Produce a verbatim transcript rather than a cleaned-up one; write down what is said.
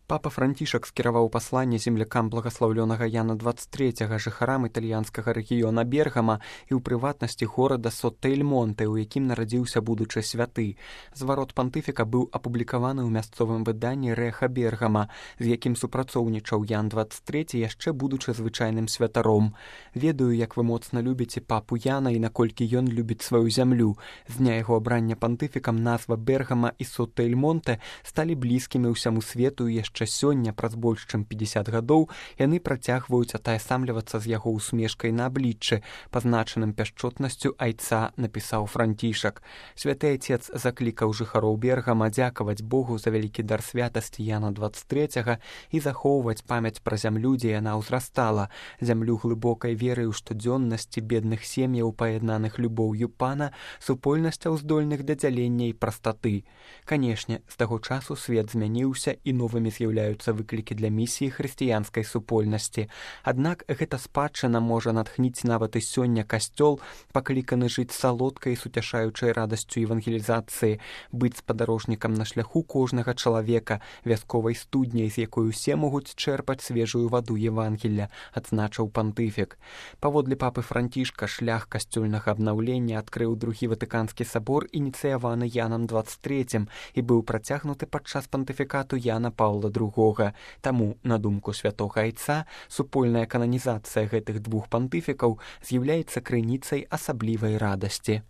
Папа Францішак скіраваў пасланне землякам благаслаўлёнага Яна дваццаць трэцяга, жыхарам італьянскага рэгіёна Бергама і ў прыватнасці горада Сотта-эль-Монте, у якім нарадзіўся будучы святы. Зварот пантыфіка быў апублікаваны ў мясцовым выданні Рэха Бергама, з якім супрацоўнічаў Ян дваццаць трэці, яшчэ будучы звычайным святаром. Ведаю, як вы моцна любіце папу Яна і наколькі ён любіць сваю зямлю. З дня яго абрання пантыфікам назва Бергама і Сотта-эль-Монте сталі блізкімі ўсяму свету і яшчэ яшчэ сёння, праз больш чым пятьдесят гадоў, яны працягваюць атаясамлівацца з яго усмешкай на абліччы, пазначаным пяшчотнасцю айца, напісаў Францішак. Святы айцец заклікаў жыхароў Бергама дзякаваць Богу за вялікі дар святасці Яна дваццаць трэцяга і захоўваць памяць пра зямлю, дзе яна ўзрастала, зямлю глыбокай веры ў штодзённасці бедных сем'яў, паяднаных любоўю пана, супольнасцяў здольных да дзялення і прастаты. Канешне, з таго часу свет змяніўся і новымі з'яўляюцца выклікі для місіі хрысціянскай супольнасці. Аднак гэта спадчына можа натхніць нават і сёння касцёл, пакліканы жыць салодкай і суцяшаючай радасцю евангелізацыі, быць спадарожнікам на шляху кожнага чалавека, вясковай студняй, з якой усе могуць чэрпаць свежую ваду Евангелля, адзначыў пантыфік. Паводле папы Францішка, шлях касцёльнага абнаўлення адкрыў другі Ватыканскі сабор, ініцыяваны Янам дваццаць трэцім, і быў працягнуты падчас пантыфікату Яна Паўла другога. Таму, на думку святога айца, супольная кананізацыя гэтых двух пантыфікаў з'яўляецца крыніцай асаблівай радасці.